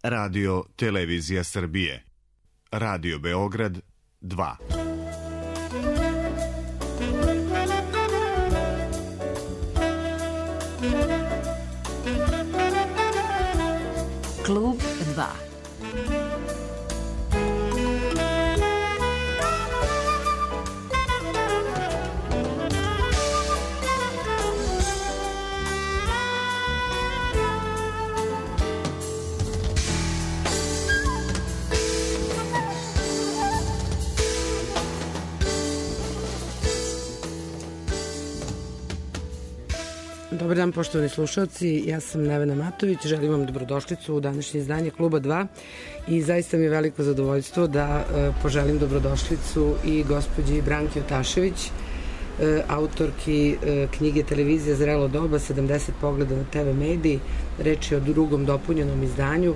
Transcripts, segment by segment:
Radio Televizija Srbije. Radio Beograd 2. Klub 2. Dobar dan, poštovani slušalci, ja sam Nevena Matović, želim vam dobrodošlicu u današnje izdanje Kluba 2 i zaista mi je veliko zadovoljstvo da poželim dobrodošlicu i gospođi Branki Otašević, autorki knjige Televizija zrelo doba, 70 pogleda na TV mediji. Reč je o drugom dopunjenom izdanju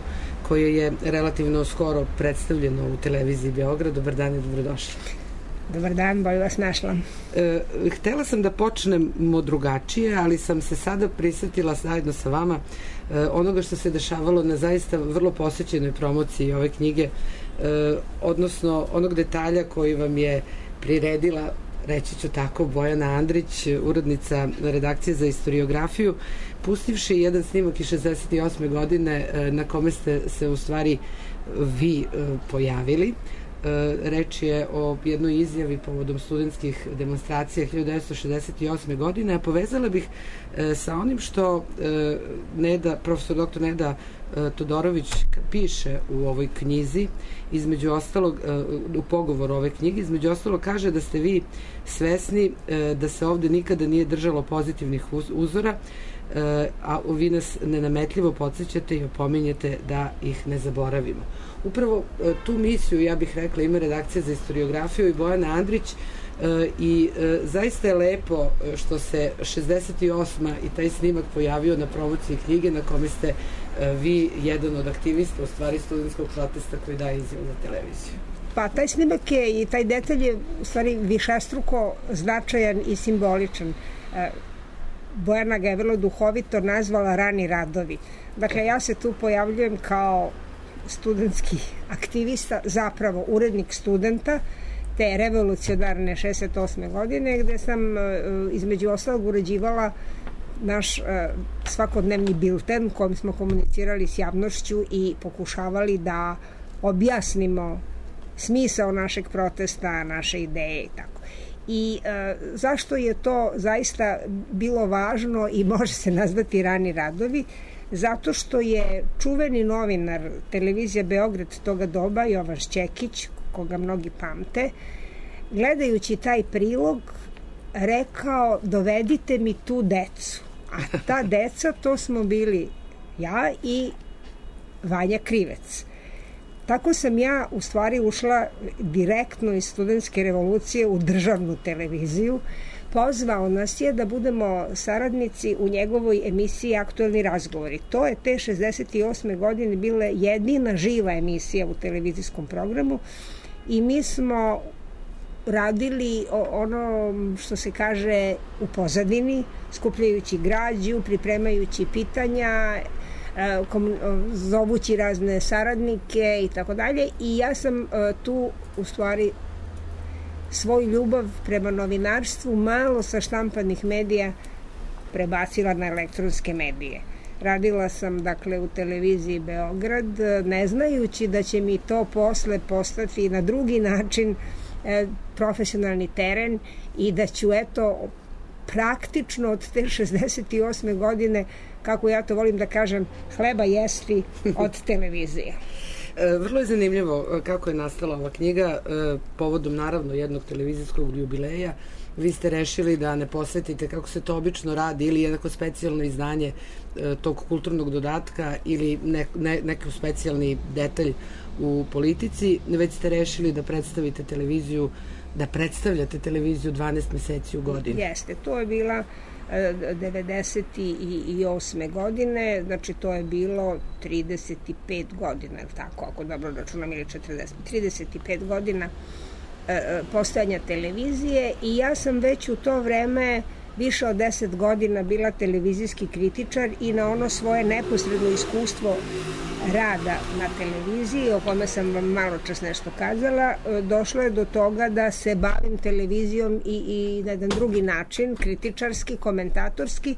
koje je relativno skoro predstavljeno u Televiziji Beograd. Dobar dan i dobrodošli. Dobar dan, bolje vas našla. Htela sam da počnemo drugačije, ali sam se sada prisetila zajedno sa vama onoga što se dešavalo na zaista vrlo posvećenoj promociji ove knjige, odnosno onog detalja koji vam je priredila, reći ću tako, Bojana Andrić, urednica redakcije za istoriografiju, pustivši jedan snimak iz 68. godine na kome ste se u stvari vi pojavili. Reč je o jednoj izjavi povodom studentskih demonstracija 1968. godine, a povezala bih sa onim što profesor dr. Neda Todorović piše u ovoj knjizi, između ostalog, u pogovoru ove knjige, između ostalog kaže da ste vi svesni da se ovde nikada nije držalo pozitivnih uzora, a vi nas nenametljivo podsjećate i opominjete da ih ne zaboravimo. Upravo tu misiju, ja bih rekla, ima redakcija za istoriografiju i Bojana Andrić i zaista je lepo što se 68. i taj snimak pojavio na promociji knjige na kome ste vi jedan od aktivista, u stvari studentskog protesta koji daje izjavu na televiziju. Pa taj snimak je i taj detalj je u stvari višestruko značajan i simboličan. Bojana ga je vrlo duhovito nazvala Rani radovi. Dakle, ja se tu pojavljujem kao studentski aktivista, zapravo urednik studenta te revolucionarne 68. godine, gde sam između ostalog uređivala naš svakodnevni bilten kojim smo komunicirali s javnošću i pokušavali da objasnimo smisao našeg protesta, naše ideje i tako. I zašto je to zaista bilo važno i može se nazvati Rani radovi? Zato što je čuveni novinar Televizija Beograd toga doba, Jovan Šćekić, koga mnogi pamte, gledajući taj prilog rekao: dovedite mi tu decu. A ta deca, to smo bili ja i Vanja Krivec. Tako sam ja u stvari ušla direktno iz studentske revolucije u državnu televiziju. Pozvao nas je da budemo saradnici u njegovoj emisiji Aktuelni razgovori. To je te 68. godine bila jedina živa emisija u televizijskom programu i mi smo radili ono što se kaže u pozadini, skupljajući građu, pripremajući pitanja, zovući razne saradnike i tako dalje. I ja sam tu u stvari svoju ljubav prema novinarstvu malo sa štampanih medija prebacila na elektronske medije. Radila sam, dakle, u Televiziji Beograd, ne znajući da će mi to posle postati na drugi način profesionalni teren i da ću, eto, praktično od te 68. godine, kako ja to volim da kažem, hleba jesti od televizije. Vrlo je zanimljivo kako je nastala ova knjiga, povodom naravno jednog televizijskog jubileja. Vi ste rešili da ne posvetite, kako se to obično radi, ili jednako specijalno izdanje tog kulturnog dodatka ili neki specijalni detalj u politici, već ste rešili da predstavite televiziju, da predstavljate televiziju 12 meseci u godini. Jeste, to je bila 98. godine, znači to je bilo 35 godina, tako, ako dobro računam, ili 35 godina postojanja televizije i ja sam već u to vreme više od 10 godina bila televizijski kritičar i na ono svoje neposredno iskustvo rada na televiziji, o kome sam vam malo čas nešto kazala, došlo je do toga da se bavim televizijom i na jedan drugi način, kritičarski, komentatorski,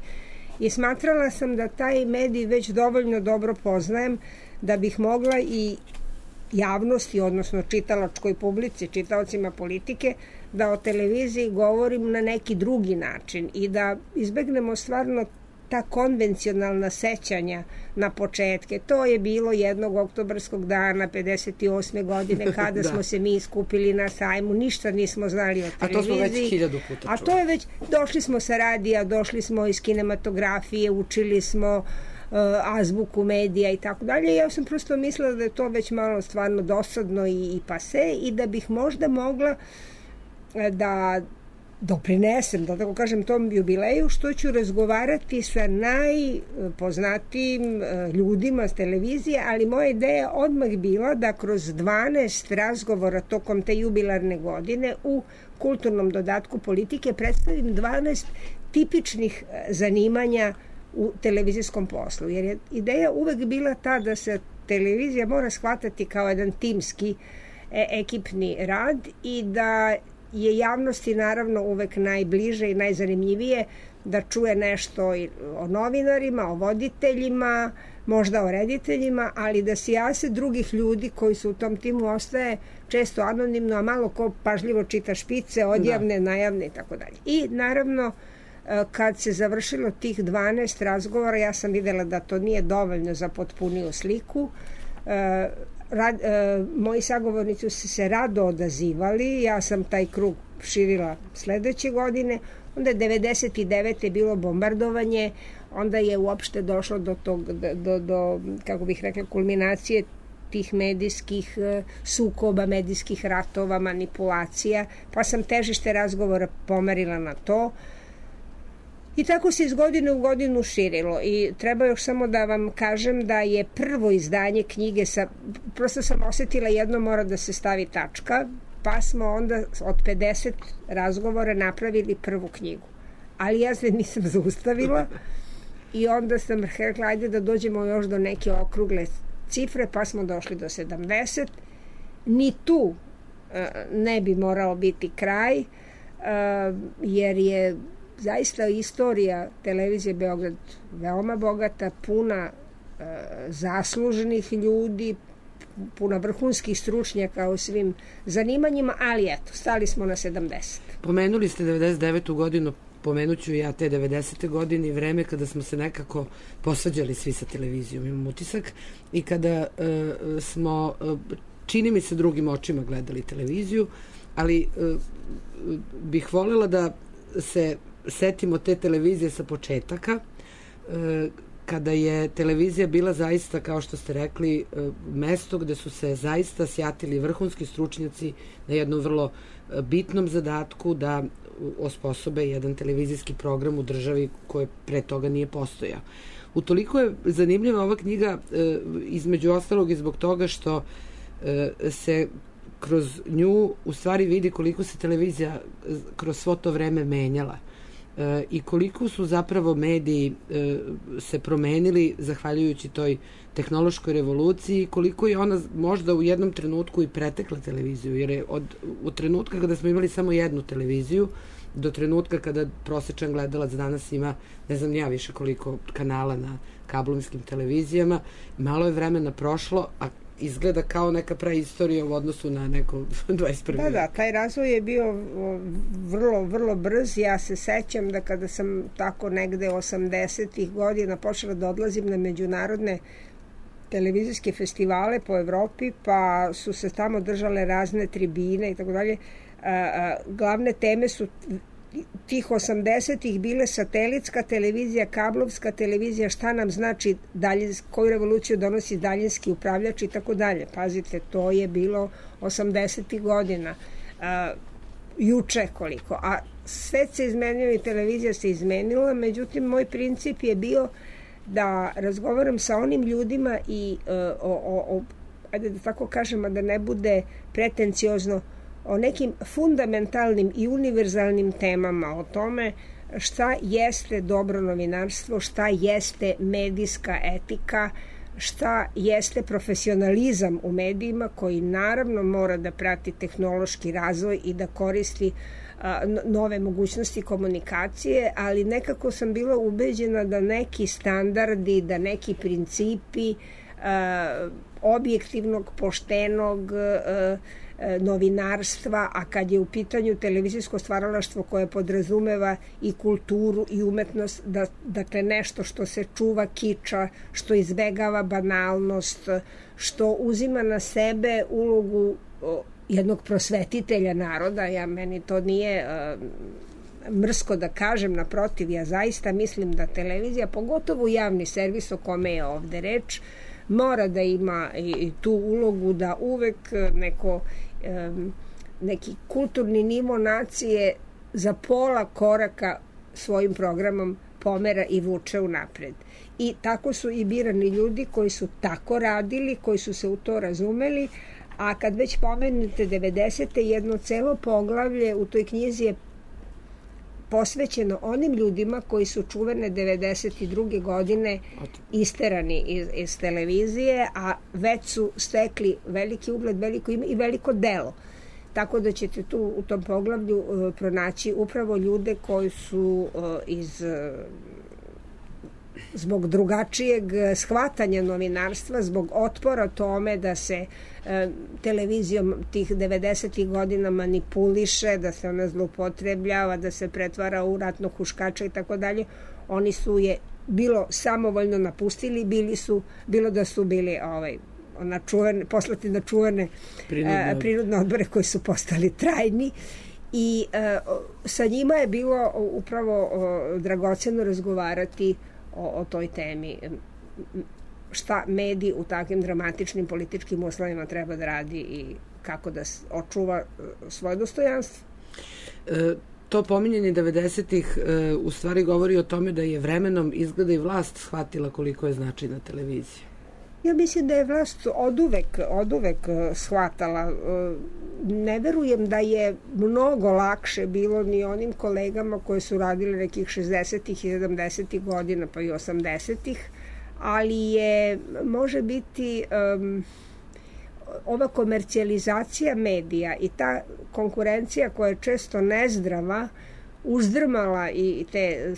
i smatrala sam da taj medij već dovoljno dobro poznajem da bih mogla i javnosti, odnosno čitalačkoj publici, čitaocima politike, da o televiziji govorim na neki drugi način i da izbegnemo stvarno ta konvencionalna sećanja na početke. To je bilo jednog oktobarskog dana 58. godine kada smo se mi skupili na sajmu, ništa nismo znali o televiziji. A to smo već 1000 puta čuli. A to je već, došli smo sa radija, došli smo iz kinematografije, učili smo azbuku medija i tako dalje. Ja sam prosto mislila da je to već malo stvarno dosadno i pase i da bih možda mogla da doprinesem, da tako kažem, tom jubileju, što ću razgovarati sa najpoznatijim ljudima s televizije, ali moja ideja odmah bila da kroz 12 razgovora tokom te jubilarne godine u kulturnom dodatku politike predstavim 12 tipičnih zanimanja u televizijskom poslu, jer je ideja uvek bila ta da se televizija mora shvatati kao jedan timski ekipni rad i da je javnosti naravno uvek najbliže i najzanimljivije da čuje nešto o novinarima, o voditeljima, možda o rediteljima, ali da sijase drugih ljudi koji su u tom timu ostaje često anonimno, a malo ko pažljivo čita špice, odjavne, najavne i tako dalje. I naravno, kad se završilo tih 12 razgovora, ja sam videla da to nije dovoljno za potpuniju sliku. Moji sagovornici su se rado odazivali, ja sam taj krug širila sledeće godine, onda je 99. bilo bombardovanje, onda je uopšte došlo do kako bih rekla, kulminacije tih medijskih sukoba, medijskih ratova, manipulacija, pa sam težište razgovora pomerila na to. I tako se iz godine u godinu širilo i treba još samo da vam kažem da je prvo izdanje knjige prosto sam osetila jedno mora da se stavi tačka, pa smo onda od 50 razgovora napravili prvu knjigu. Ali ja se nisam zaustavila i onda sam rekla ajde da dođemo još do neke okrugle cifre, pa smo došli do 70. Ni tu ne bi morao biti kraj, jer je zaista istorija televizije Beograd veoma bogata, puna zasluženih ljudi, puna vrhunskih stručnjaka u svim zanimanjima, ali eto, stali smo na 70. Pomenuli ste 99. godinu, pomenuću ja te 90. godine i vreme kada smo se nekako posvađali svi sa televizijom, imam utisak, i kada smo, čini mi se, drugim očima gledali televiziju, ali bih voljela da se setimo te televizije sa početaka, kada je televizija bila zaista, kao što ste rekli, mesto gde su se zaista sjatili vrhunski stručnjaci na jednom vrlo bitnom zadatku da osposobe jedan televizijski program u državi koje pre toga nije postojao. Utoliko je zanimljiva ova knjiga, između ostalog i zbog toga što se kroz nju u stvari vidi koliko se televizija kroz svo to vreme menjala i koliko su zapravo mediji se promenili zahvaljujući toj tehnološkoj revoluciji, koliko je ona možda u jednom trenutku i pretekla televiziju, jer je od trenutka kada smo imali samo jednu televiziju do trenutka kada prosečan gledalac danas ima, ne znam ja više koliko kanala na kablovskim televizijama, malo je vremena prošlo, a izgleda kao neka praistorija u odnosu na neko 21. Da, taj razvoj je bio vrlo, vrlo brz. Ja se sećam da kada sam tako negde 80-ih godina počela da odlazim na međunarodne televizijske festivale po Evropi, pa su se tamo držale razne tribine i tako dalje. Glavne teme su tih 80-ih bile satelitska televizija, kablovska televizija, šta nam znači koju revoluciju donosi daljinski upravljač i tako dalje. Pazite, to je bilo 80-ih godina. Juče koliko. A svet se izmenio i televizija se izmenila, međutim, moj princip je bio da razgovaram sa onim ljudima i ajde da tako kažem, a da ne bude pretenciozno, o nekim fundamentalnim i univerzalnim temama, o tome šta jeste dobro novinarstvo, šta jeste medijska etika, šta jeste profesionalizam u medijima koji naravno mora da prati tehnološki razvoj i da koristi nove mogućnosti komunikacije, ali nekako sam bila ubeđena da neki standardi, da neki principi objektivnog, poštenog novinarstva, a kad je u pitanju televizijsko stvaralaštvo koje podrazumeva i kulturu i umetnost, dakle nešto što se čuva kiča, što izbegava banalnost, što uzima na sebe ulogu jednog prosvetitelja naroda, meni to nije mrsko da kažem, naprotiv, ja zaista mislim da televizija, pogotovo javni servis o kome je ovde reč, mora da ima i tu ulogu da uvek neki kulturni nivo nacije za pola koraka svojim programom pomera i vuče unapred. I tako su i birani ljudi koji su tako radili, koji su se u to razumeli, a kad već pomenete 90. jedno celo poglavlje u toj knjizi je posvećeno onim ljudima koji su čuvene 92. godine isterani iz televizije, a već su stekli veliki ugled, veliko ime i veliko delo. Tako da ćete tu u tom poglavlju pronaći upravo ljude koji su zbog drugačijeg shvatanja novinarstva, zbog otpora tome da se televizijom tih 90. godina manipuliše, da se ona zloupotrebljava, da se pretvara u ratnog huškača i tako dalje. Oni su je bilo samovoljno napustili, bilo da su bili poslati na čuvene prinudne odbore koji su postali trajni. I sa njima je bilo upravo dragoceno razgovarati o toj temi, šta medij u takvim dramatičnim političkim uslovima treba da radi i kako da očuva svoje dostojanstvo. To pominjanje 90-ih u stvari govori o tome da je vremenom izgleda i vlast shvatila koliko je značajna televizija. Ja mislim da je vlast oduvek shvatala. Ne verujem da je mnogo lakše bilo ni onim kolegama koji su radili nekih 60-ih i 70-ih godina, pa i 80-ih, ali je, može biti, ova komercijalizacija medija i ta konkurencija koja je često nezdrava uzdrmala i te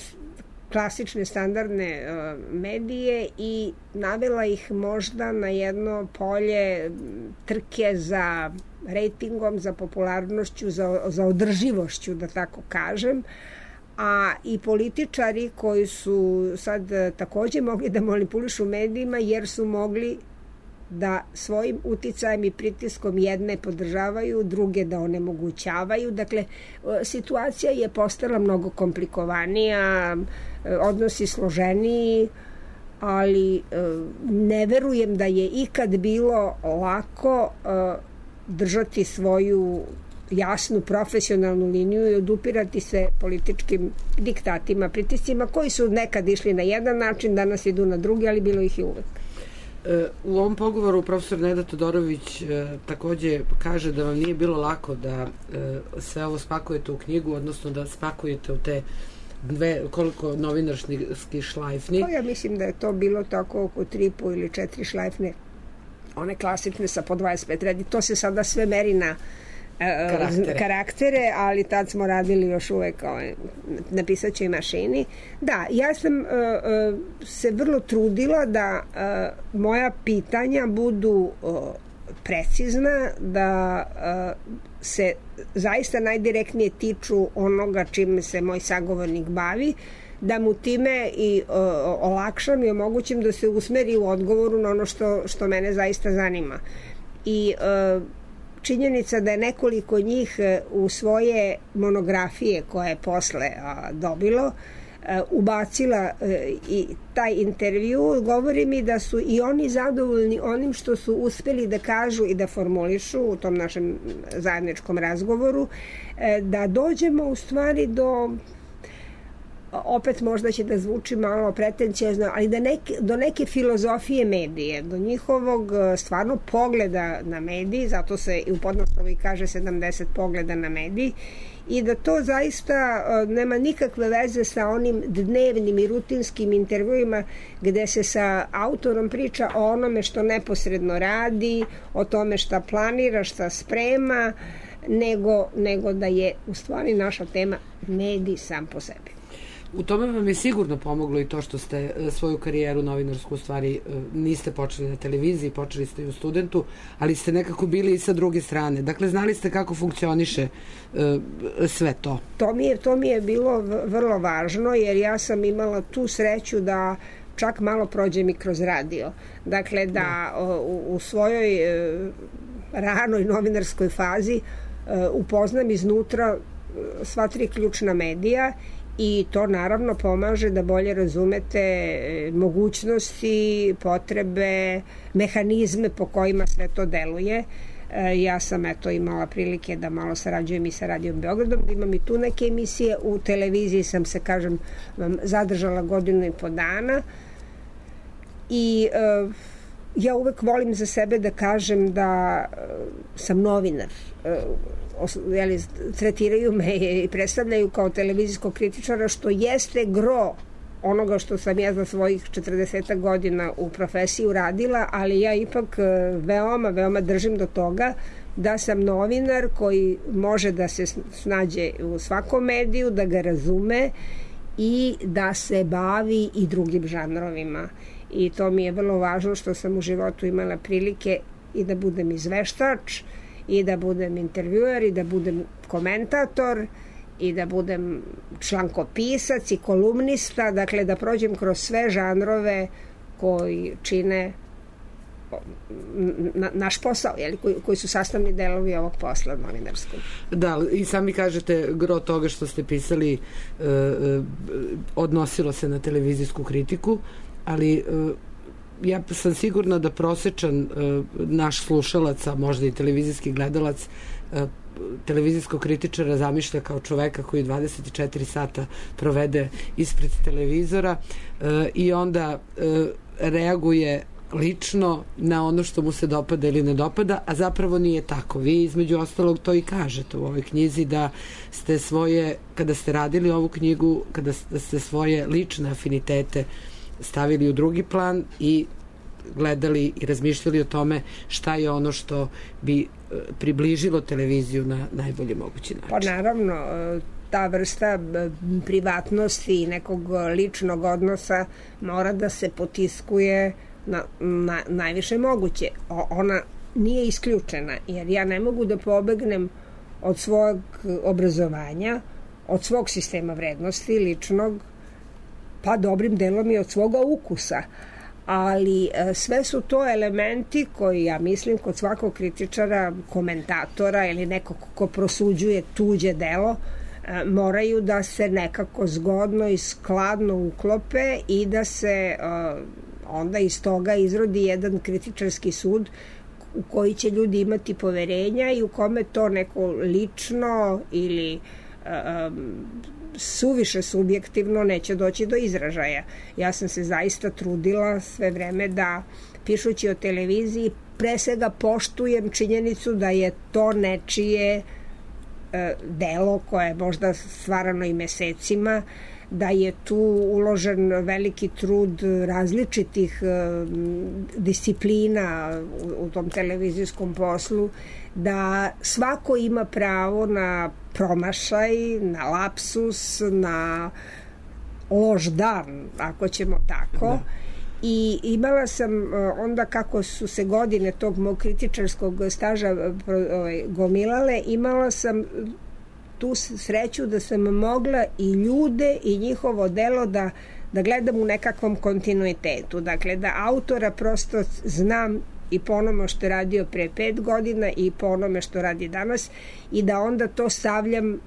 klasične standardne medije i navela ih možda na jedno polje trke za rejtingom, za popularnošću, za održivošću, da tako kažem, a i političari koji su sad takođe mogli da manipulišu medijima jer su mogli da svojim uticajem i pritiskom jedne podržavaju, druge da onemogućavaju. Dakle, situacija je postala mnogo komplikovanija, odnosi složeniji, ali ne verujem da je ikad bilo lako držati svoju jasnu profesionalnu liniju i odupirati se političkim diktatima, pritiscima koji su nekad išli na jedan način, danas idu na drugi, ali bilo ih i uvek. U ovom pogovoru profesor Neda Todorović takođe kaže da vam nije bilo lako da sve ovo spakujete u knjigu, odnosno da spakujete u te koliko novinarskih šlajfni. Ja mislim da je to bilo tako oko 3,5 ili 4 šlajfne, one klasične sa po 25 redi. To se sada sve meri na karaktere, ali tad smo radili još uvek na pisaćoj mašini. Da, ja sam se vrlo trudila da moja pitanja budu precizna, da se zaista najdirektnije tiču onoga čime se moj sagovornik bavi, da mu time i olakšam i omogućim da se usmeri u odgovoru na ono što mene zaista zanima. I činjenica da je nekoliko njih u svoje monografije koje je posle dobilo ubacila i taj intervju, govori mi da su i oni zadovoljni onim što su uspeli da kažu i da formulišu u tom našem zajedničkom razgovoru, da dođemo u stvari do opet možda će da zvuči malo pretencijezno, ali do neke filozofije medije, do njihovog stvarno pogleda na mediji, zato se i u podnaslovu kaže 70 pogleda na mediji, i da to zaista nema nikakve veze sa onim dnevnim i rutinskim intervjuima gde se sa autorom priča o onome što neposredno radi, o tome šta planira, šta sprema, nego da je u stvari naša tema medij sam po sebi. U tome vam je sigurno pomoglo i to što ste svoju karijeru novinarsku u stvari niste počeli na televiziji, počeli ste i u Studentu, ali ste nekako bili i sa druge strane. Dakle, znali ste kako funkcioniše sve to. To mi je bilo vrlo važno, jer ja sam imala tu sreću da čak malo prođem i kroz radio. Dakle, da u svojoj ranoj novinarskoj fazi upoznam iznutra sva 3 ključna medija, i to naravno pomaže da bolje razumete mogućnosti, potrebe, mehanizme po kojima sve to deluje. Ja sam imala prilike da malo sarađujem i sa Radijom Beogradom, da imam i tu neke emisije. U televiziji sam se, zadržala 1.5 godina i ja uvek volim za sebe da kažem da sam novinar. Tretiraju me i predstavljaju kao televizijskog kritičara, što jeste gro onoga što sam ja za svojih 40 godina u profesiji uradila, ali ja ipak veoma držim do toga da sam novinar koji može da se snađe u svakom mediju, da ga razume i da se bavi i drugim žanrovima. I to mi je vrlo važno, što sam u životu imala prilike i da budem izveštač, i da budem intervjuer, i da budem komentator, i da budem člankopisac i kolumnista, dakle da prođem kroz sve žanrove koji čine naš posao, koji su sastavni delovi ovog posla novinarskog. Da, i sami kažete, gro toga što ste pisali odnosilo se na televizijsku kritiku, ali ja sam sigurna da prosečan naš slušalac, a možda i televizijski gledalac, televizijskog kritičara zamišlja kao čoveka koji 24 sata provede ispred televizora i onda reaguje lično na ono što mu se dopada ili ne dopada, a zapravo nije tako. Vi između ostalog to i kažete u ovoj knjizi, da ste kada ste radili ovu knjigu, kada ste svoje lične afinitete stavili u drugi plan i gledali i razmišljali o tome šta je ono što bi približilo televiziju na najbolji mogući način. Pa naravno, ta vrsta privatnosti i nekog ličnog odnosa mora da se potiskuje na najviše moguće. Ona nije isključena, jer ja ne mogu da pobegnem od svog obrazovanja, od svog sistema vrednosti ličnog, pa dobrim delom i od svoga ukusa. Ali sve su to elementi koji, ja mislim, kod svakog kritičara, komentatora ili nekog ko prosuđuje tuđe delo, moraju da se nekako zgodno i skladno uklope i da se onda iz toga izrodi jedan kritičarski sud u koji će ljudi imati poverenja i u kome to neko lično ili suviše subjektivno neće doći do izražaja. Ja sam se zaista trudila sve vreme da, pišući o televiziji, pre svega poštujem činjenicu da je to nečije delo koje je možda stvarano i mesecima, da je tu uložen veliki trud različitih disciplina u tom televizijskom poslu, da svako ima pravo na promašaj, na lapsus, na loš dan, ako ćemo tako. Da. I imala sam onda, kako su se godine tog mog kritičarskog staža gomilale, imala sam tu sreću da sam mogla i ljude i njihovo delo da gledam u nekakvom kontinuitetu. Dakle, da autora prosto znam i po onome što je radio pre 5 godina i po onome što radi danas, i da onda to stavljam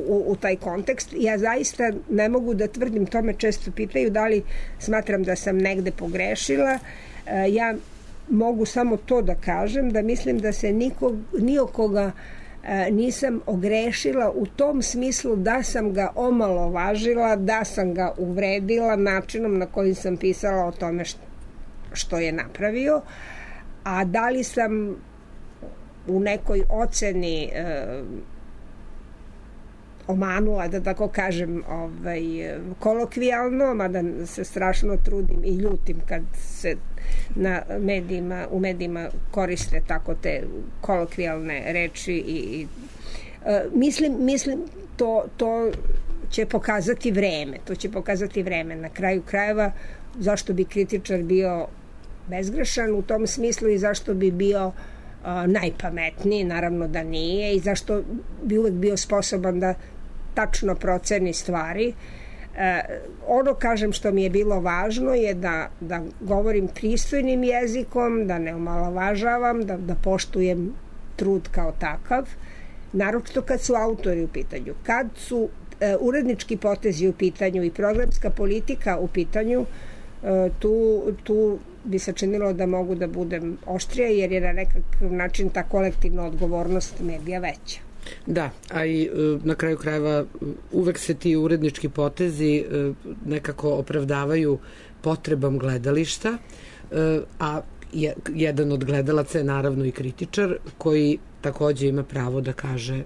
u taj kontekst. Ja zaista ne mogu da tvrdim, to me često pitaju da li smatram da sam negde pogrešila. Ja mogu samo to da kažem, da mislim da se ni o koga nisam ogrešila u tom smislu da sam ga omalovažila, da sam ga uvredila načinom na koji sam pisala o tome što je napravio, a da li sam u nekoj oceni omanula, da tako kažem, kolokvijalno, mada se strašno trudim i ljutim kad se u medijima koriste tako te kolokvijalne reči i mislim to će pokazati vreme. Na kraju krajeva, zašto bi kritičar bio bezgrešan u tom smislu i zašto bi bio najpametniji, naravno da nije, i zašto bi uvek bio sposoban da tačno proceni stvari. Ono, kažem, što mi je bilo važno je da govorim pristojnim jezikom, da ne omalovažavam, da poštujem trud kao takav, naročito kad su autori u pitanju. Kad su urednički potezi u pitanju i programska politika u pitanju, tu bi se činilo da mogu da budem oštrija, jer je na nekakav način ta kolektivna odgovornost medija veća. Da, a i na kraju krajeva uvek se ti urednički potezi nekako opravdavaju potrebom gledališta, a jedan od gledalaca je naravno i kritičar koji takođe ima pravo da kaže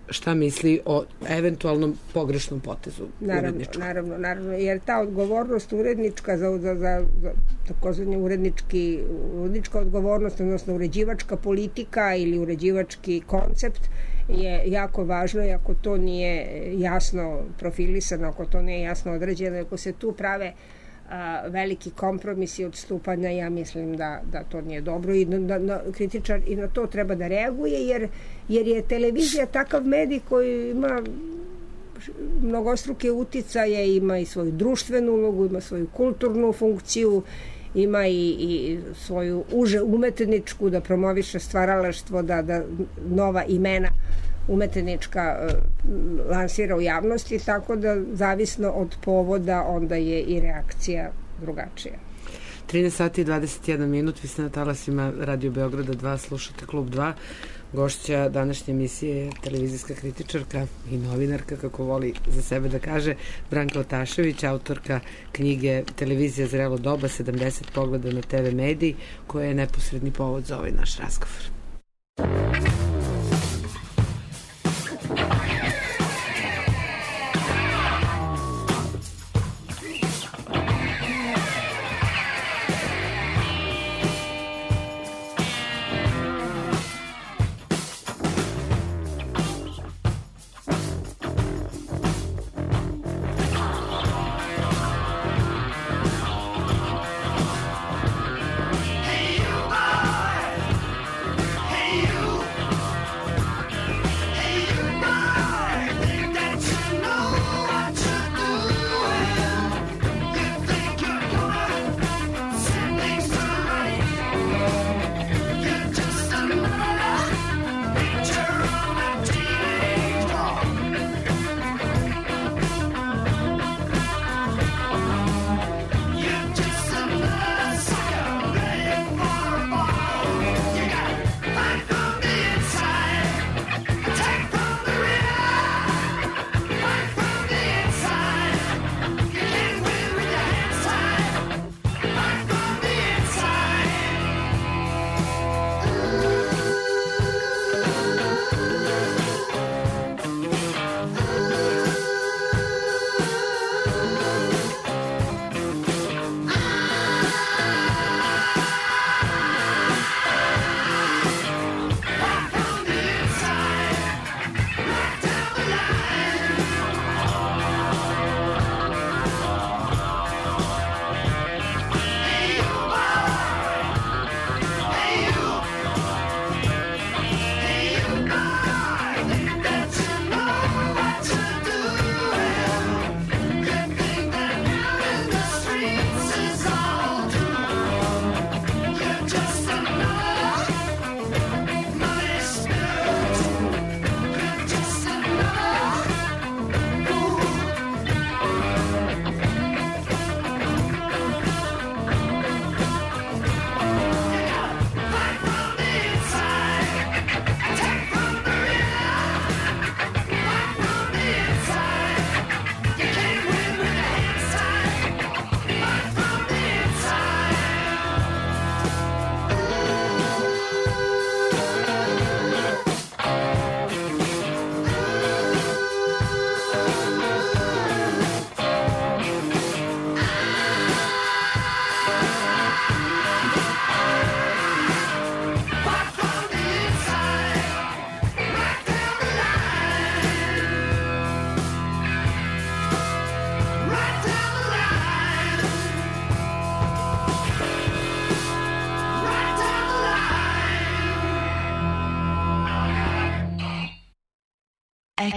šta misli o eventualnom pogrešnom potezu uredničkom. Naravno, jer ta odgovornost urednička za takozvani urednička odgovornost, odnosno uređivačka politika ili uređivački koncept je jako važno, i ako to nije jasno profilisano, ako to nije jasno određeno, ako se tu prave veliki kompromisi odstupanja, ja mislim da to nije dobro i kritičar i na to treba da reaguje, jer je televizija takav medij koji ima mnogostruke uticaje, ima i svoju društvenu ulogu, ima svoju kulturnu funkciju, ima i svoju uže umetničku, da promoviše stvaralaštvo, da nova imena umetnička lansira u javnosti, tako da zavisno od povoda onda je i reakcija drugačija. 13 sati i 21 minut, vi ste na talasima Radio Beograda 2, slušate Klub 2. Gošća današnje emisije je televizijska kritičarka i novinarka, kako voli za sebe da kaže, Branka Otašević, autorka knjige Televizija zrelo doba, 70 pogleda na TV mediji, koja je neposredni povod za ovaj naš razgovor. Hey you!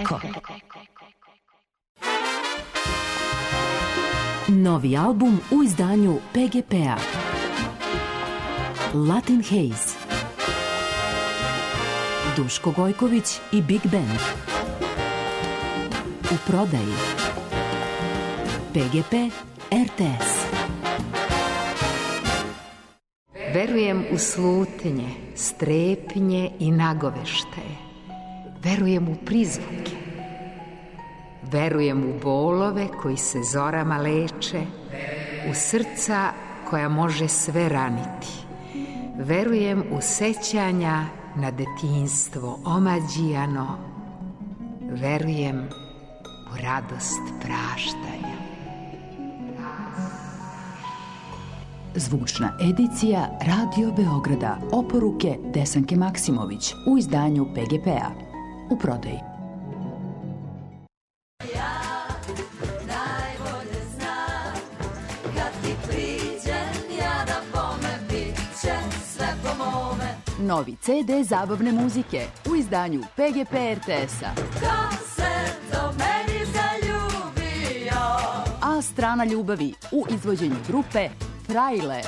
Eko. Novi album u izdanju PGP-a. Latin Haze. Duško Gojković i Big Band. U prodaji. PGP RTS. Verujem u slutnje, strepnje i nagoveštaje. Verujem u prizvuke. Verujem u bolove koji se zorama leče, u srca koja može sve raniti. Verujem u sećanja na detinjstvo omađijano. Verujem u radost praštanja. Zvučna edicija Radio Beograda. Oporuke Desanke Maksimović u izdanju PGP-a. U prodaji. Novi CD zabavne muzike u izdanju PGP RTS-a. Ko se do meni zaljubio? A strana ljubavi u izvođenju grupe Frajle.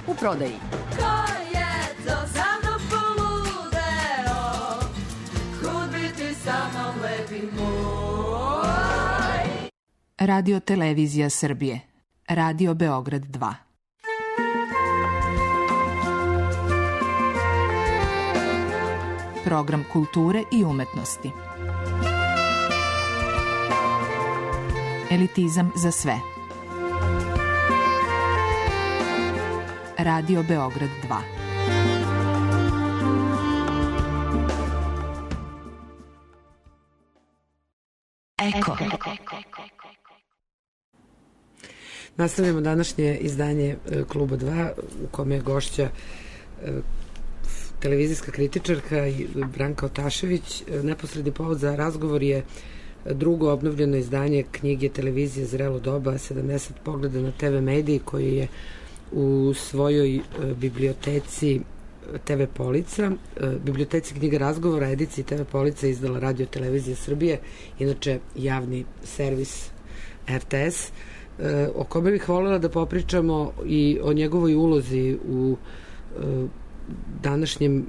U prodaji. Ko je to za mnom poludeo? Kud bi ti sa mnom lepi moj? Radio Televizija Srbije. Radio Beograd 2. Program kulture i umetnosti. Elitizam za sve. Radio Beograd 2. Eko. Nastavljamo današnje izdanje Kluba 2 u kome je gošća televizijska kritičarka Branka Otašević. Neposredni povod za razgovor je drugo obnovljeno izdanje knjige Televizije Zrelo doba, 70 pogleda na TV mediji, koji je u svojoj biblioteci TV Polica, biblioteci knjiga razgovora, ediciji TV Polica izdala Radio Televizija Srbije, inače javni servis RTS, o kome bih voljela da popričamo i o njegovoj ulozi u današnjem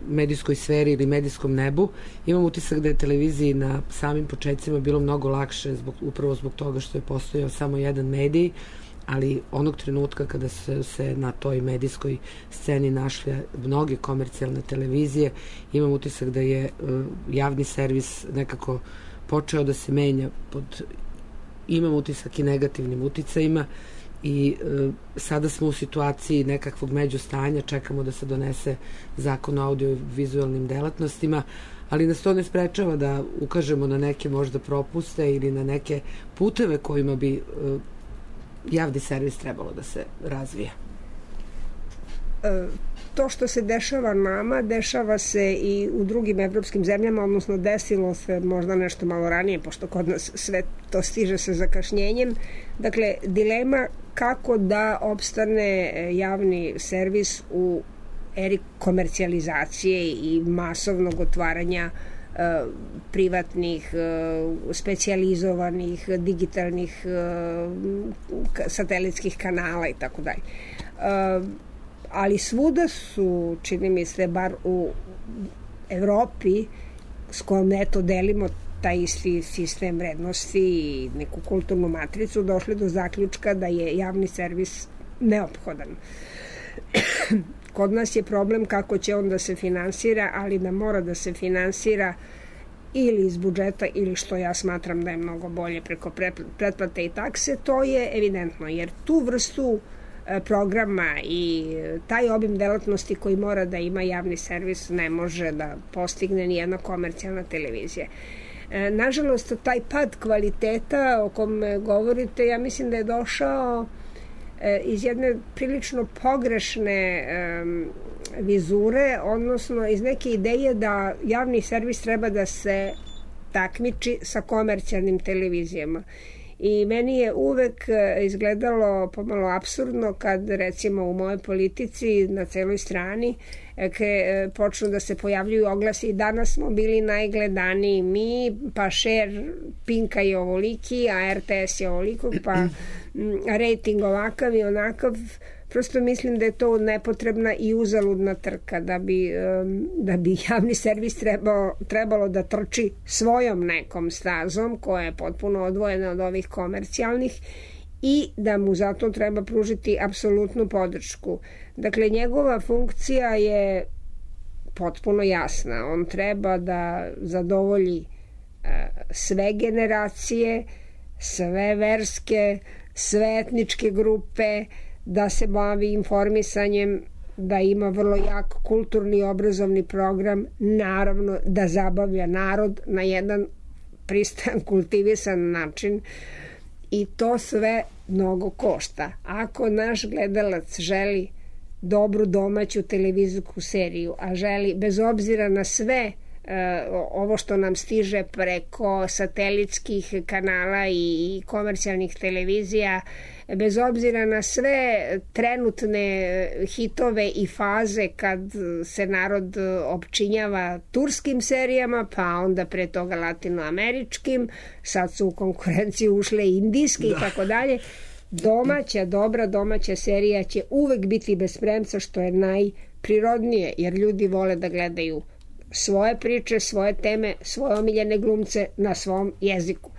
medijskoj sferi ili medijskom nebu. Imam utisak da je televiziji na samim početcima bilo mnogo lakše upravo zbog toga što je postojao samo jedan medij, ali onog trenutka kada su se na toj medijskoj sceni našle mnoge komercijalne televizije, imam utisak da je javni servis nekako počeo da se menja imam utisak i negativnim uticajima i sada smo u situaciji nekakvog međustanja, čekamo da se donese zakon o audio-vizualnim delatnostima, ali nas to ne sprečava da ukažemo na neke možda propuste ili na neke puteve kojima bi javni servis trebalo da se razvija. To što se dešava nama, dešava se i u drugim evropskim zemljama, odnosno desilo se možda nešto malo ranije, pošto kod nas sve to stiže sa zakašnjenjem. Dakle, dilema kako da opstane javni servis u eri komercijalizacije i masovnog otvaranja privatnih, specijalizovanih, digitalnih, satelitskih kanala i tako dalje. Ali svuda su, čini mi se, bar u Evropi, s kojom eto delimo taj isti sistem vrednosti i neku kulturnu matricu, došli do zaključka da je javni servis neophodan. Kod nas je problem kako će on da se finansira, ali da mora da se finansira ili iz budžeta ili, što ja smatram da je mnogo bolje, preko pretplate i takse. To je evidentno, jer tu vrstu programa i taj obim delatnosti koji mora da ima javni servis ne može da postigne ni jedna komercijalna televizija. Nažalost, taj pad kvaliteta o kom govorite, ja mislim da je došao iz jedne prilično pogrešne vizure, odnosno iz neke ideje da javni servis treba da se takmiči sa komercijalnim televizijama. I meni je uvek izgledalo pomalo apsurdno kad recimo u mojoj politici na celoj strani počnu da se pojavljuju oglasi i danas smo bili najgledaniji mi, pa share Pinka je ovoliki, a RTS je ovoliko, pa rating ovakav i onakav. Prosto mislim da je to nepotrebna i uzaludna trka, da bi javni servis trebalo da trči svojom nekom stazom koja je potpuno odvojena od ovih komercijalnih i da mu zato treba pružiti apsolutnu podršku. Dakle, njegova funkcija je potpuno jasna. On treba da zadovolji sve generacije, sve verske, sve etničke grupe, da se bavi informisanjem, da ima vrlo jak kulturni i obrazovni program, naravno da zabavlja narod na jedan pristojan, kultivisan način i to sve mnogo košta. Ako naš gledalac želi dobru domaću televizijsku seriju, a želi bez obzira na sve ovo što nam stiže preko satelitskih kanala i komercijalnih televizija, bez obzira na sve trenutne hitove i faze kad se narod opčinjava turskim serijama, pa onda pre toga latinoameričkim, sad su u konkurenciju ušle indijske i tako dalje, dobra domaća serija će uvek biti bez premca, što je najprirodnije, jer ljudi vole da gledaju svoje priče, svoje teme, svoje omiljene glumce na svom jeziku.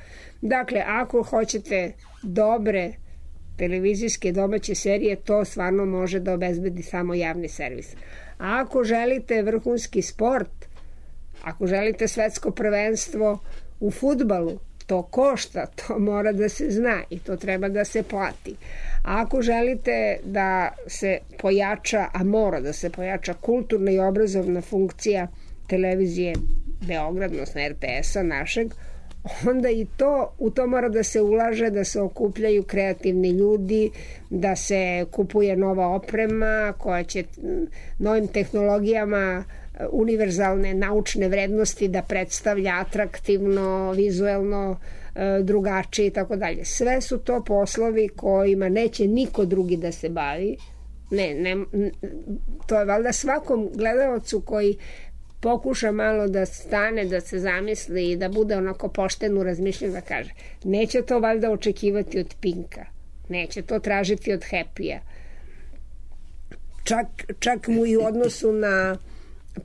Dakle, ako hoćete dobre televizijske domaće serije, to stvarno može da obezbedi samo javni servis. A ako želite vrhunski sport, ako želite svetsko prvenstvo u fudbalu, to košta, to mora da se zna i to treba da se plati. A ako želite da se pojača, a mora da se pojača kulturna i obrazovna funkcija televizije Beograd, odnosno RTS-a našeg, onda i u to mora da se ulaže, da se okupljaju kreativni ljudi, da se kupuje nova oprema koja će novim tehnologijama univerzalne naučne vrednosti da predstavlja atraktivno, vizuelno, drugačije i tako dalje. Sve su to poslovi kojima neće niko drugi da se bavi. To je valjda svakom gledalcu koji pokuša malo da stane, da se zamisli i da bude onako pošten u razmišljanju, da kaže, neće to valjda očekivati od Pinka, neće to tražiti od Happy-a. Čak mu i u odnosu na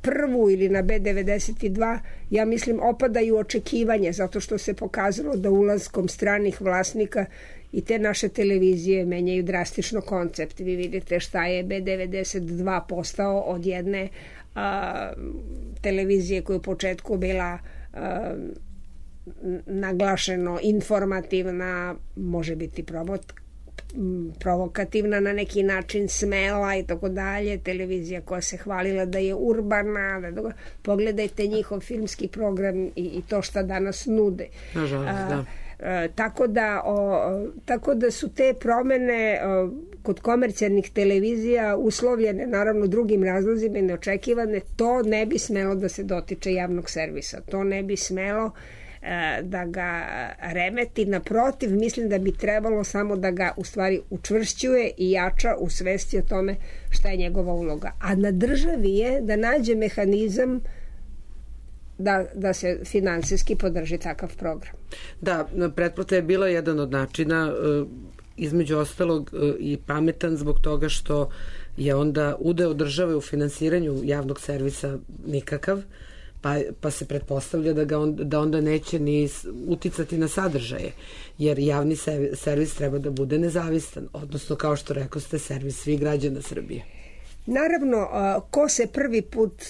prvu ili na B92, ja mislim, opadaju očekivanja, zato što se pokazalo da ulaskom stranih vlasnika i te naše televizije menjaju drastično koncept. Vi vidite šta je B92 postao od jedne televizije koja je u početku bila naglašeno informativna, može biti provokativna na neki način, smela i tako dalje, televizija koja se hvalila da je urbana, pogledajte njihov filmski program i to šta danas nude. Nažalost, da. Tako da su te promene kod komercijalnih televizija uslovljene naravno drugim razlozima i neočekivane. To ne bi smelo da se dotiče javnog servisa, to ne bi smelo da ga remeti, naprotiv, mislim da bi trebalo samo da ga u stvari učvršćuje i jača u svesti o tome šta je njegova uloga. A na državi je da nađe mehanizam da se finansijski podrži takav program. Da, pretplata je bila jedan od načina, između ostalog i pametan zbog toga što je onda udeo države u finansiranju javnog servisa nikakav, pa se pretpostavlja da onda neće ni uticati na sadržaje, jer javni servis treba da bude nezavistan, odnosno, kao što rekao ste, servis svih građana Srbije. Naravno, ko se prvi put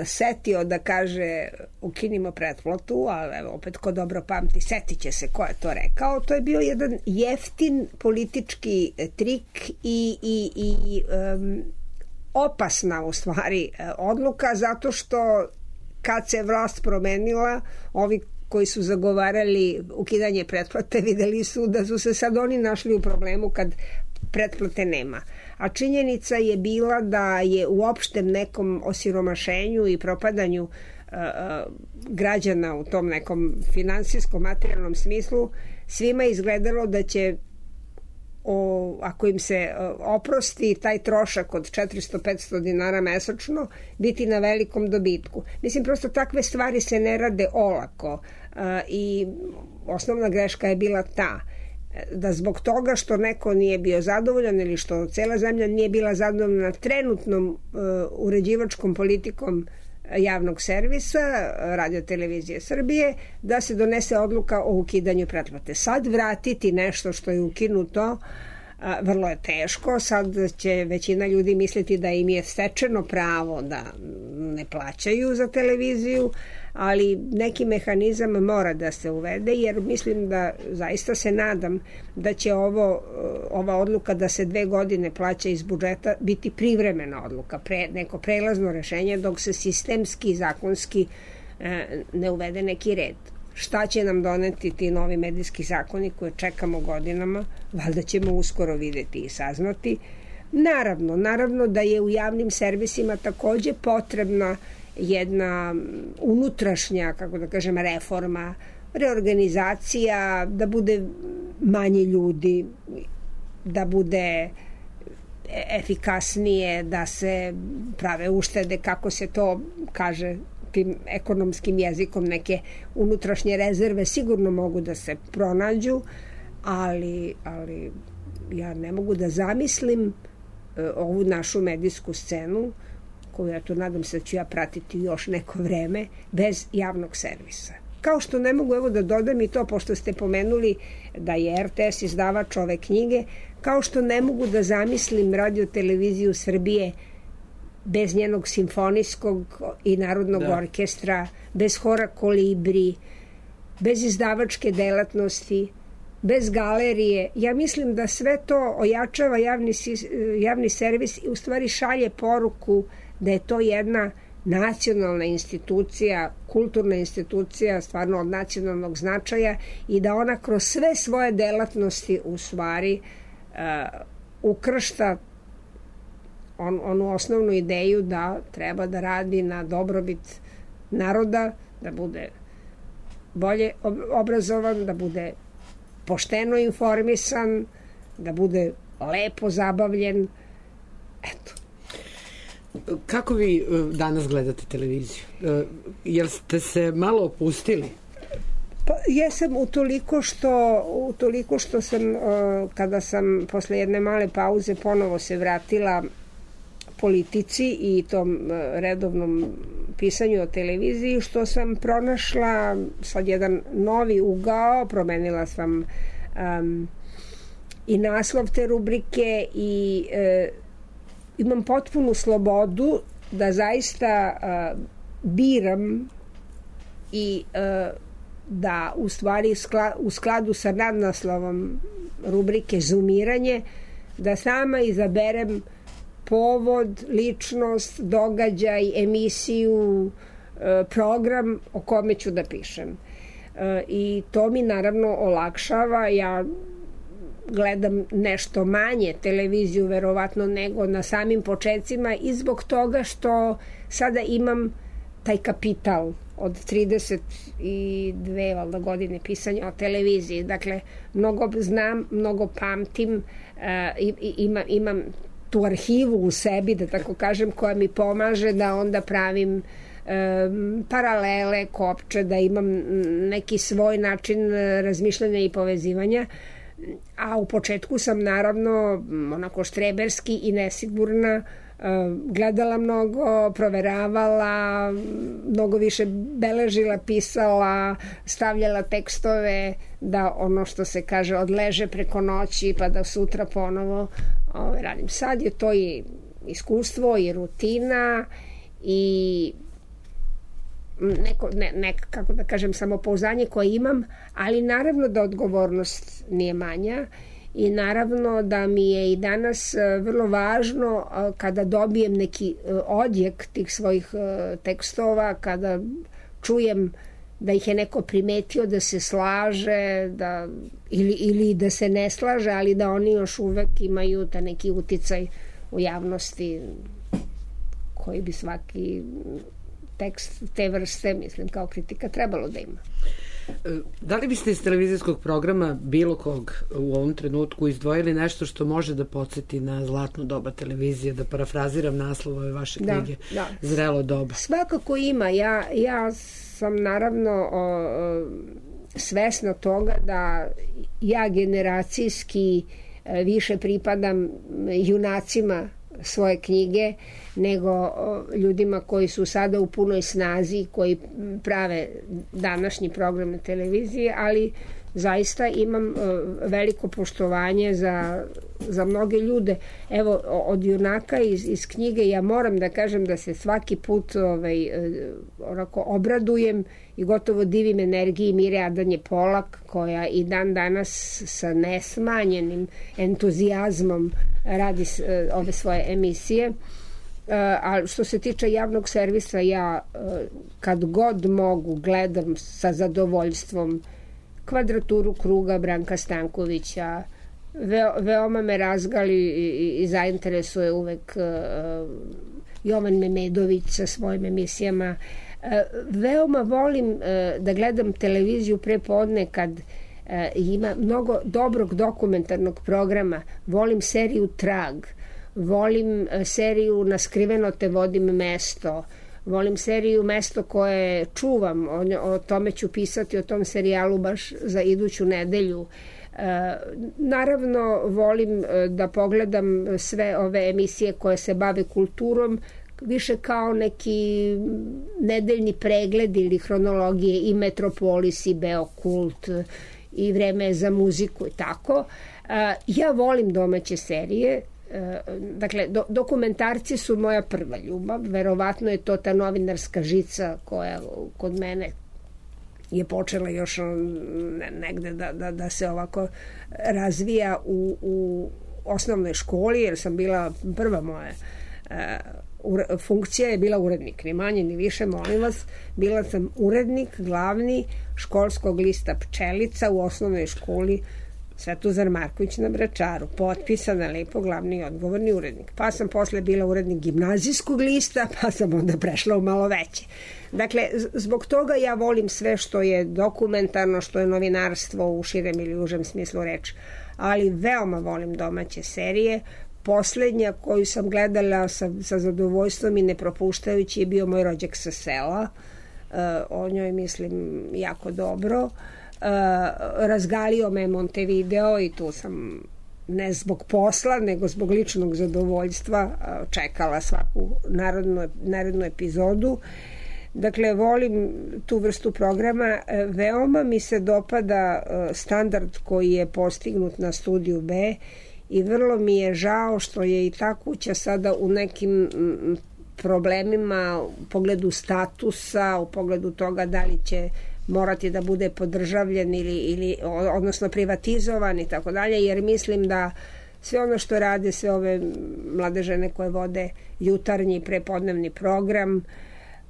setio da kaže ukinimo pretplatu, ali evo opet ko dobro pamti, setit će se ko je to rekao, to je bio jedan jeftin politički trik i opasna u stvari odluka, zato što kad se vlast promenila, ovi koji su zagovarali ukidanje pretplate videli su da su se sad oni našli u problemu kad pretplate nema. A činjenica je bila da je u opštem nekom osiromašenju i propadanju građana u tom nekom finansijskom materijalnom smislu svima izgledalo da će ako im se oprosti taj trošak od 400-500 dinara mesečno biti na velikom dobitku. Mislim, prosto takve stvari se ne rade olako i osnovna greška je bila ta da zbog toga što neko nije bio zadovoljan ili što cela zemlja nije bila zadovoljna trenutnom uređivačkom politikom javnog servisa, Radio televizije Srbije, da se donese odluka o ukidanju pretplate. Sad vratiti nešto što je ukinuto vrlo je teško. Sad će većina ljudi misliti da im je stečeno pravo da ne plaćaju za televiziju, ali neki mehanizam mora da se uvede, jer mislim da zaista se nadam da će ova odluka da se 2 godine plaća iz budžeta biti privremena odluka, neko prelazno rešenje dok se sistemski, zakonski ne uvede neki red. Šta će nam doneti ti novi medijski zakoni koje čekamo godinama, valjda ćemo uskoro videti i saznati. Naravno da je u javnim servisima takođe potrebna jedna unutrašnja, kako da kažem, reforma, reorganizacija, da bude manje ljudi, da bude efikasnije, da se prave uštede, kako se to kaže tim ekonomskim jezikom, neke unutrašnje rezerve sigurno mogu da se pronađu, ali ja ne mogu da zamislim ovu našu medijsku scenu, koju ja tu nadam se da ću ja pratiti još neko vreme, bez javnog servisa. Kao što ne mogu, evo da dodam i to, pošto ste pomenuli da je RTS izdavač ove knjige, kao što ne mogu da zamislim Radio televiziju Srbije bez njenog simfonijskog i narodnog orkestra, bez hora Kolibri, bez izdavačke delatnosti, bez galerije. Ja mislim da sve to ojačava javni servis i u stvari šalje poruku da je to jedna nacionalna institucija, kulturna institucija, stvarno od nacionalnog značaja, i da ona kroz sve svoje delatnosti u stvari ukršta onu osnovnu ideju da treba da radi na dobrobit naroda, da bude bolje obrazovan, da bude pošteno informisan, da bude lepo zabavljen. Eto. Kako vi danas gledate televiziju? Jel ste se malo opustili? Pa, jesam utoliko što sam, kada sam posle jedne male pauze ponovo se vratila politici i tom redovnom pisanju o televiziji, što sam pronašla sad jedan novi ugao, promenila sam i naslov te rubrike i imam potpunu slobodu da zaista biram i da u stvari u skladu sa nadnaslovom rubrike Zoomiranje da sama izaberem povod, ličnost, događaj, emisiju, program o kome ću da pišem. I to mi naravno olakšava. Ja gledam nešto manje televiziju verovatno nego na samim početcima i zbog toga što sada imam taj kapital od 32 valjda godine pisanja o televiziji. Dakle, mnogo znam, mnogo pamtim, imam tu arhivu u sebi, da tako kažem, koja mi pomaže da onda pravim paralele, kopče, da imam neki svoj način razmišljanja i povezivanja. A u početku sam naravno onako štreberski i nesigurna, gledala mnogo, proveravala, mnogo više beležila, pisala, stavljala tekstove da ono što se kaže odleže preko noći pa da sutra ponovo radim. Sad je to i iskustvo i rutina i kako da kažem, samopouzdanje koje imam, ali naravno da odgovornost nije manja i naravno da mi je i danas vrlo važno kada dobijem neki odjek tih svojih tekstova, kada čujem da ih je neko primetio, da se slaže ili da se ne slaže, ali da oni još uvek imaju ta neki uticaj u javnosti koji bi svaki tekst te vrste, mislim, kao kritika trebalo da ima. Da li biste iz televizijskog programa bilo kog u ovom trenutku izdvojili nešto što može da podsjeti na zlatno doba televizije, da parafraziram naslov ove vaše knjige, Zrelo doba? Svakako ima. Ja sam naravno svesna toga da ja generacijski više pripadam junacima svoje knjige nego ljudima koji su sada u punoj snazi, koji prave današnji program na televiziji, ali zaista imam veliko poštovanje za mnoge ljude. Evo, od junaka iz knjige ja moram da kažem da se svaki put onako obradujem i gotovo divim energiji Mire Adanje Polak, koja i dan danas sa nesmanjenim entuzijazmom radi ove svoje emisije. A što se tiče javnog servisa, ja kad god mogu gledam sa zadovoljstvom Kvadraturu kruga Branka Stankovića. Veoma me razgali i zainteresuje uvek Jovan Memedović sa svojim emisijama. Veoma volim da gledam televiziju prepodne kad ima mnogo dobrog dokumentarnog programa. Volim seriju Trag, volim seriju Na skriveno te vodim mesto, volim seriju Mesto koje čuvam, o tome ću pisati, o tom serijalu baš za iduću nedelju. Naravno, volim da pogledam sve ove emisije koje se bave kulturom, više kao neki nedeljni pregled ili hronologije, i Metropolis, i Beokult, i Vreme za muziku i tako. Ja volim domaće serije. Dakle, dokumentarci su moja prva ljubav. Verovatno je to ta novinarska žica koja kod mene je počela još negde da se ovako razvija u osnovnoj školi, jer sam bila prva moja funkcija je bila urednik, ni manje ni više, molim vas. Bila sam urednik glavni školskog lista Pčelica u osnovnoj školi Svetozar Marković na Vračaru, potpisana lepo glavni i odgovorni urednik. Pa sam posle bila urednik gimnazijskog lista, pa sam onda prešla u malo veće. Dakle, zbog toga ja volim sve što je dokumentarno, što je novinarstvo u širem ili užem smislu reči, ali veoma volim domaće serije. Poslednja koju sam gledala sa zadovoljstvom i ne propuštajući je bio Moj rođak sa sela. O njoj mislim jako dobro. Razgalio me Montevideo i tu sam ne zbog posla nego zbog ličnog zadovoljstva čekala svaku narednu epizodu. Dakle, volim tu vrstu programa. Veoma mi se dopada standard koji je postignut na Studiju B i vrlo mi je žao što je i ta kuća sada u nekim problemima u pogledu statusa, u pogledu toga da li će morati da bude podržavljen ili odnosno privatizovan i tako dalje, jer mislim da sve ono što rade sve ove mlade žene koje vode jutarnji i prepodnevni program,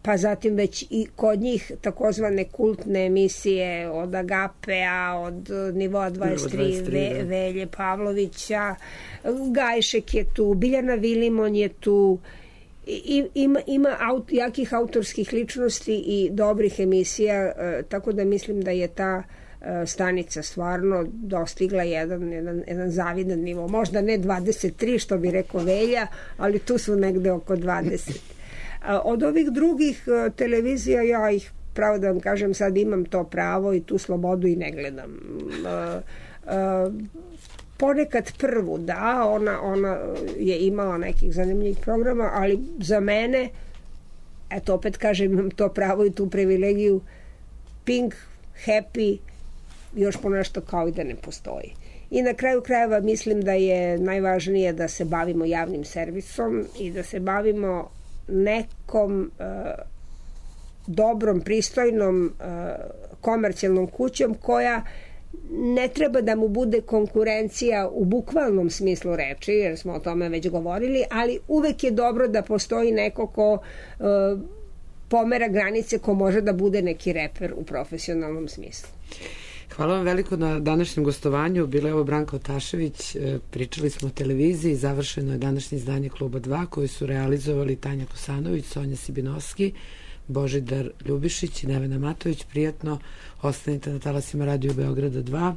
pa zatim već i kod njih takozvane kultne emisije od Agapea, od Nivoa 23, Velje Pavlovića, Gajšek je tu, Biljana Vilimon je tu, ima jakih autorskih ličnosti i dobrih emisija, tako da mislim da je ta stanica stvarno dostigla jedan zavidan nivo. Možda ne 23 što bi rekao Velja, ali tu su negde oko 20. Od ovih drugih televizija ja ih, pravo da vam kažem, sad imam to pravo i tu slobodu i ne gledam. Ponekad prvu, da, ona je imala nekih zanimljivih programa, ali za mene, eto opet kažem, imam to pravo i tu privilegiju, Pink, Happy, još ponešto kao i da ne postoji. I na kraju krajeva mislim da je najvažnije da se bavimo javnim servisom i da se bavimo nekom dobrom, pristojnom komercijalnom kućom koja ne treba da mu bude konkurencija u bukvalnom smislu reči, jer smo o tome već govorili, ali uvek je dobro da postoji neko ko pomera granice, ko može da bude neki reper u profesionalnom smislu. Hvala vam veliko na današnjem gostovanju. Bila je ovo Branka Otašević, pričali smo o televiziji, završeno je današnje izdanje Kluba 2 koje su realizovali Tanja Kosanović, Sonja Sibinovski, Božidar Ljubišić i Nevena Matović. Prijatno, ostanite na talasima Radio Beograda 2.